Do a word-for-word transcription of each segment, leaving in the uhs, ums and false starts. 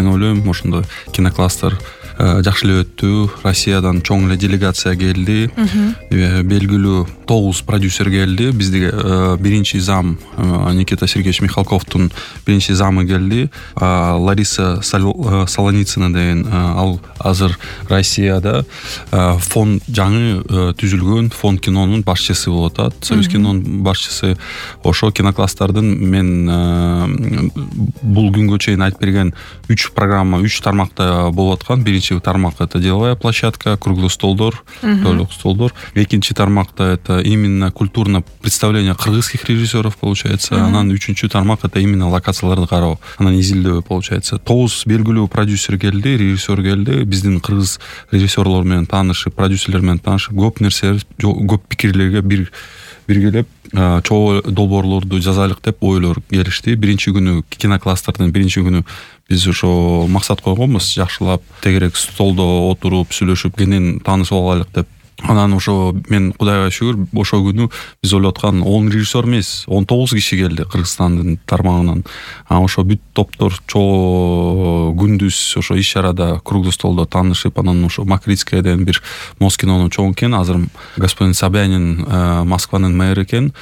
мен ойлойм ошондой кинокласстер жакшы эле өттү. Россиядан чоң эле делегация келди. Белгилүү тогуз продюсер келди. Бизде биринчи зам Никита Сергеевич Михалковдун биринчи замы келди. Лариса Солоницына деген ал азыр Россияда фонд жаңы түзүлгөн фонд кинонун башчысы болуп атат. Союз кинонун башчысы. Ошо кинокласстардын мен бул күнгө чейин айтып берген үч программа, үч тармакта болуп аткан. Биринчи тармак это деловая площадка, круглый столдор, тойлук столдор. Экинчи тармакта это именно культурное представление кыргызских режиссеров получается. Анан үчүнчү тармак это именно локацияларды кароо. Анан изилдөө получается. Тогуз белгилүү продюсер келди, режиссер келди. Биздин кыргыз режиссерлор менен таанышып, продюсерлер менен таанышып, көп нерсе, көп пикирлерге бир биргелеп чоо долбоорлорду жазайлык деп ойлор келишти. Биринчи күнү кинокластердин биринчи күнү биз ошо максат койгонбуз, жакшылап тегерек столдо отуруп сүйлөшүп кенен таанышып алайлык деп. Анан ошо мен Кудайга шүгүр ошо күнү биз ойлоп аткан он режиссер эмес, он тогуз киши келди Кыргызстандын тармагынан. А ошо бүт топтор чоо күндүз ошо иш чарада круглый столдо таанышып, анан ошо Макритскайден бир Москинонун чоң экен, азыр господин Собянин Москванын мэрі экен.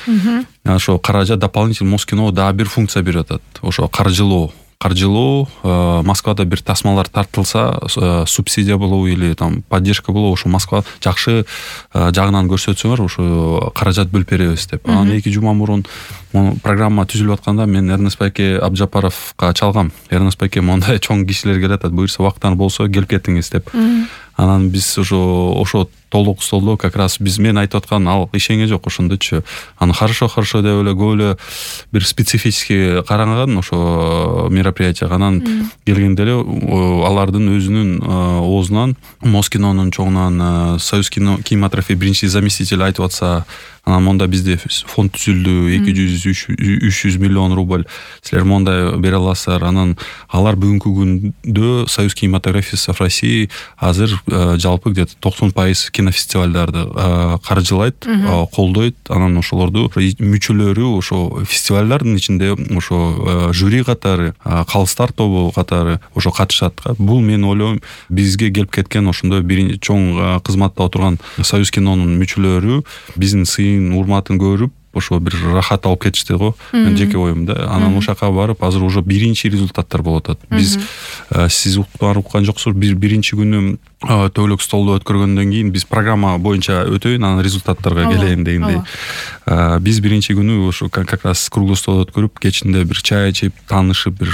Ошо каражат дополнительный Москино дагы бир функция берип атат. Ошо каржылоо каржылоо Москвада бир тасмалар тартылса, субсидия болобу или там поддержка болобу, ошо Москва жакшы жагынан көрсөтсөңөр ошо каражат бөлүп беребиз деп. Анан эки жума мурун программа түзүлүп атканда мен Эрнест Байке Абджапаровго чалгам. Эрнест Байке мондай чоң кишилер келет атат, буюрса убактан болсо келип кетиңиз деп. Анан биз ошо ошо толук столдо как раз биз мен айтып аткан ал ишене жок ошондочу. Аны хорошо хорошо деп эле көп эле бир специфический караган ошо мероприятие. Анан келгенде эле алардын өзүнүн оозунан Москинонун чоңунан Союз кинематографии биринчи заместитель айтып атса, анан монда бизде фонд түзүлдү, эки жүз үч жүз миллион рубль силер мондай бере аласыздар. Анан алар бүгүнкү күндө Союз кинематографии России азыр жалпы где-то токсон пайыз кинофестивалдарды каржылайт, колдойт. Анан ошолорду мүчөлөрү ошо фестивалдардын ичинде ошо жюри катары, калыстар тобу катары ошо катышат. Бул мен ойлойм бизге келип кеткен ошондой бир чоң кызматта отурган Союз кинонун мүчөлөрү биздин сыйын урматын көрүп ошо бир рахат алып кетишти го. Мен жеке оюм да. Анан ошака барып азыр уже биринчи результаттар болуп атат. Биз сиз уккан жоксуз, бир биринчи күнү төөлөк столду өткөргөндөн кийин биз программа боюнча өтөйүн, анан результаттарга келейин дегендей. Биз биринчи күнү ошо как раз круглый стол өткөрүп, кечинде бир чай ичип, таанышып, бир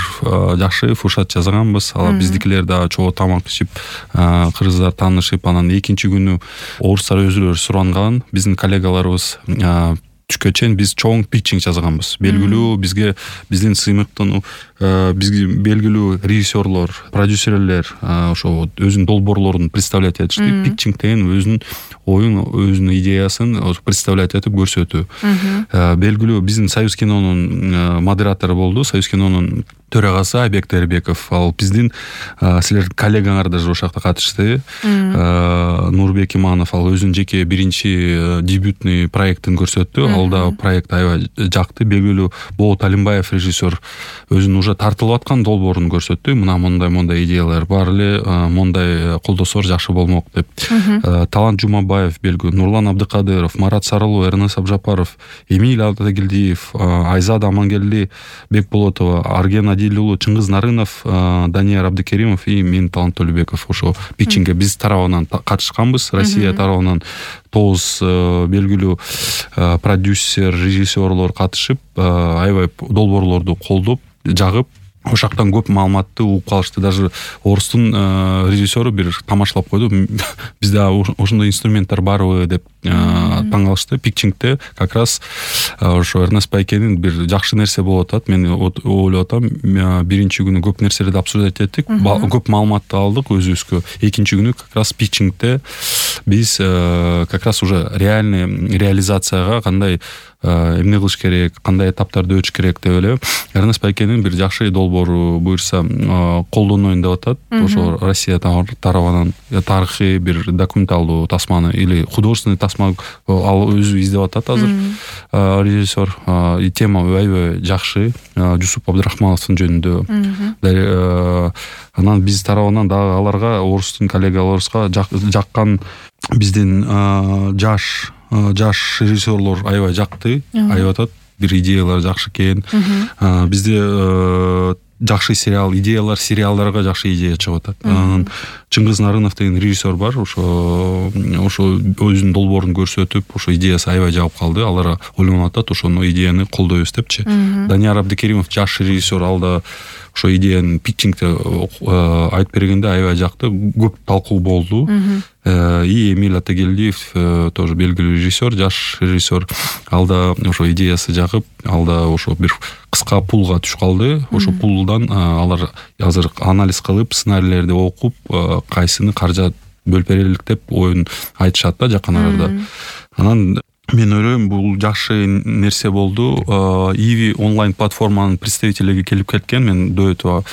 жакшы фуршат жасаганбыз. Ала биздикилер да чоо тамак ичип, кыргыздар таанышып, анан экинчи күнү орустар өзүлөрү суранган, биздин коллегаларыбыз түшкө чейин биз чоң питчинг жазганбыз. Белгилүү бизге биздин сыймыктын бизге белгилүү режиссерлор, продюсерлер ошо өзүнүн долбоорлорун представлять этишти. Питчинг деген өзүнүн оюн, өзүнүн идеясын представлять этип көрсөтүү. Белгилүү биздин Союз кинонун модератору болду, Союз кинонун төрагасы Айбек Тербеков. Ал биздин силер коллегаңар даже ошакта катышты. Нурбек Иманов ал өзүнүн жеке биринчи дебютный проектин көрсөттү. Ал да проект аябай жакты. Белгилүү Болот Алимбаев режиссер өзүнүн уже тартылып аткан долбоорун көрсөттү. Мына мондай мондай идеялар бар эле, мондай колдосоор жакшы болмок деп. Талант Жумабаев, белгилүү Нурлан Абдыкадыров, Марат Сарылуу, Эрнест Абджапаров, Эмиль Атагелдиев, Айзат Амангелди Бекболотова, Арген Адилулу, Чыңгыз Нарынов, Данияр Абдыкеримов и мен Талант Төлөбеков ошо питчингге биз тарабынан катышканбыз. Россия тарабынан тогуз белгилүү продюсер, режиссерлор катышып, аябай долбоорлорду колдоп, жагып, ошактан көп маалыматты угуп калышты. Даже орустун режиссеру бир тамашалап койду. Бизде ошондой инструменттер барбы деп таң калышты. Питчингде как раз ошо Эрнест Байкенин бир жакшы нерсе болуп атат. Мен ойлоп атам, биринчи күнү көп нерселерди обсуждать эттик, көп маалыматты алдык өзүбүзгө. Экинчи күнү как раз питчингде биз как раз уже реальный реализацияга кандай эмне кылыш керек, кандай этаптарды өтүш керек деп эле Эрнест Байкенин бир жакшы долбоору буюрса колдоноюн деп атат. Ошо Россия тарабынан тарыхый бир документалдуу тасманы или художественный тасма ал өзү издеп атат азыр режиссер. И тема аябай жакшы. Жусуп Абдрахмановдун жөнүндө. Анан биз тарабынан дагы аларга орустун коллегаларыбызга жаккан биздин жаш жаш режиссерлор аябай жакты, айтып атат. Бир идеялар жакшы экен. Бизде жакшы сериал, идеялар сериалдарга жакшы идея чыгып атат. Анан Чыңгыз Нарынов деген режиссер бар. Ошо ошо өзүнүн долбоорун көрсөтүп, ошо идеясы аябай жагып калды. Алар ойлонуп атат, ошону идеяны колдойбуз депчи. Данияр Абдыкеримов жаш режиссер, ал да ошо идеяны питчингде айтып бергенде аябай жакты, көп талкуу болду. И Эмиль Атагелдиев тоже белгилүү режиссер, жаш режиссер. Ал да ошо идеясы жагып, ал да ошо бир кыска пулга түшүп калды. Ошо пулдан алар азыр анализ кылып, сценарийлерди окуп, кайсыны каржат бөлүп берелик деп оюн айтышат да жакын арада. Анан мен ойлойм, бул жакшы нерсе болду. Иви онлайн платформанын представителиги келип кеткен. Мен до этого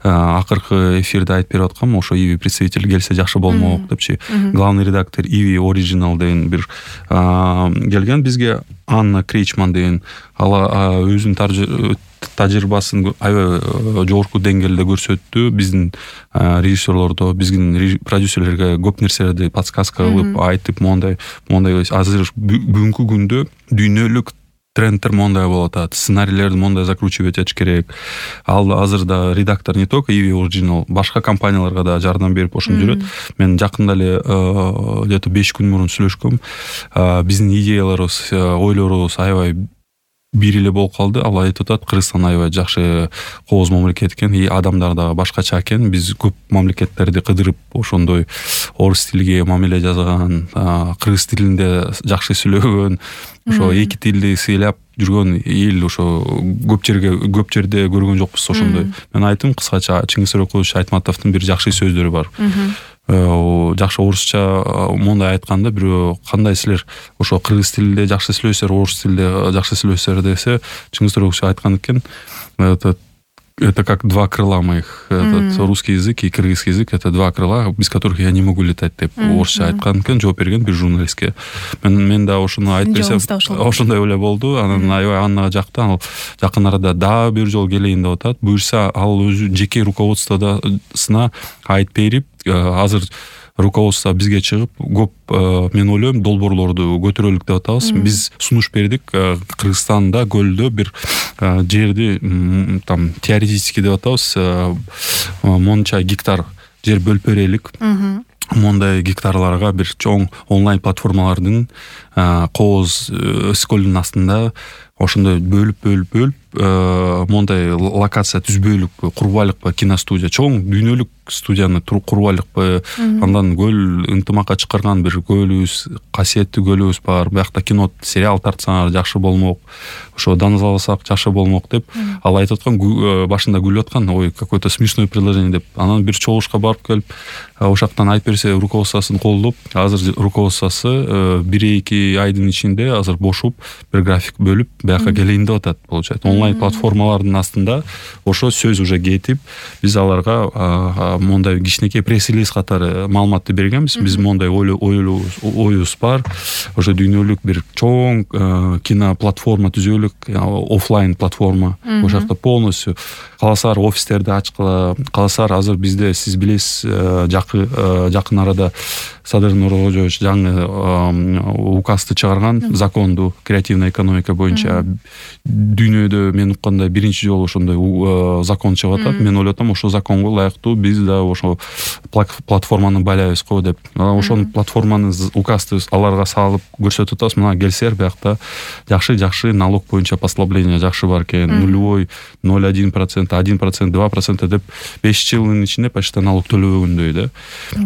акыркы эфирде айтып берип аткам, ошо Иви представители келсе жакшы болмок депчи. Главный редактор Иви Original деген бир келген бизге. Анна Кречман деген, ала өзүнүн тажрыйбасын аябай жогорку деңгээлде көрсөттү. Биздин режиссерлордо, биздин продюсерлерге көп нерселерди подсказка кылып, айтып, мондай, мондай азыр бүгүнкү күндө дүйнөлүк трендтер мондай болуп атат. Сценарийлерди мондай закручивать этиш керек. Ал азыр да редактор не только Иви Original, башка компанияларга да жардам берип ошону жүрөт. Мен жакында эле где-то беш күн мурун сүйлөшкөм. Биздин идеяларыбыз, ойлорубуз аябай бир эле болуп калды. Ал айтып атат, Кыргызстан аябай жакшы кооз мамлекет экен, и адамдар да башкача экен. Биз көп мамлекеттерди кыдырып, ошондой орус тилиге мамиле жазган, кыргыз тилинде жакшы сүйлөгөн, ошо эки тилди сыйлап жүргөн эл ошо көп жерге көп жерде көргөн жокпуз ошондой. Мен айттым кыскача, Чыңгыз Сөрөкулович Айтматовдун бир жакшы сөздөрү бар. Жакшы орусча мондай айтканда, бирөө кандай силер ошо кыргыз тилинде жакшы сүйлөсөөр, орус тилинде жакшы сүйлөсөөр десе, Чыңгыз Сөрөкулович айткан экен, это это как два крыла моих. Этот русский язык и кыргызский язык — это два крыла, без которых я не могу летать деп орусча айткан экен, жооп берген бир журналистке. Мен мен да ошону айтып берсем, ошондой эле болду. Анан аябай Аннага жакты. Ал жакын арада дагы бир жолу келейин деп атат. Буюрса, ал өзү жеке руководствосуна айтып берип, азыр руководство бизге чыгып, көп мен ойлойм долбоорлорду көтөрөлүк деп атабыз. Биз сунуш бердик. Кыргызстанда көлдө бир жерди там теоретически деп атабыз, монча гектар жер бөлүп берелик. Мондай гектарларга бир чоң онлайн платформалардын кооз сколдун астында ошондой бөлүп бөлүп бөлүп мондай локация түзбөйлүк курбайлыкпы киностудия, чоң дүйнөлүк студияны курбайлыкпы, андан көл ынтымакка чакырган бир көлүбүз, касиеттүү көлүбүз бар. Биякта кино, сериал тартсаңар жакшы болмок, ошо даңазаласак жакшы болмок деп ал айтып аткан, башында күлүп аткан, ой, какое-то смешное предложение деп. Анан бир чогулушка барып келип, ошактан айтып берсе, руководствосын колдоп, азыр руководствосу бир-эки айдын ичинде азыр бошуп, бир график бөлүп, бияка келейин деп атат, получается. Онлайн платформалардын астында ошо сөз уже кетип, биз аларга мондай кичинекей пресс-релиз катары маалыматты бергенбиз. Биз мондай оюбуз бар. Ошо дүйнөлүк бир чоң кино платформа түзөлүк, офлайн платформа. Ошакта полностью каласар офистерди ачкыла, каласар азыр бизде, сиз билесиз, жакын арада Садыр Нуркожоевич жаңы указды чыгарган, законду креативная экономика боюнча. Дүйнөдө мен укканда биринчи жолу ошондой закон чыгып атат. Мен ойлоп атам, ошо законго ылайыктуу биз да ошо платформаны байлайбыз го деп. Ошонун платформаны указды аларга салып көрсөтүп атабыз. Мына келсер, биякта жакшы-жакшы налог боюнча послабление жакшы бар экен. Нулевой, ноль целых один процент, один процент, два процента деп беш жылдын ичинде почти налог төлөбөгөндөй да.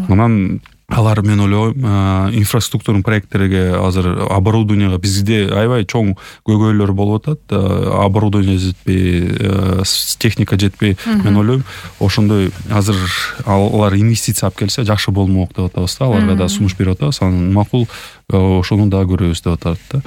Анан алар, мен ойлойм, инфраструктурный проекттерге азыр оборудованияга бизде аябай чоң көйгөйлөр болуп атат. Оборудование жетпей, техника жетпей. Мен ойлойм, ошондой азыр алар инвестиция алып келсе жакшы болмок деп атабыз да. Аларга да сунуш берип атабыз. Анан макул ошону да көрөбүз деп атат да.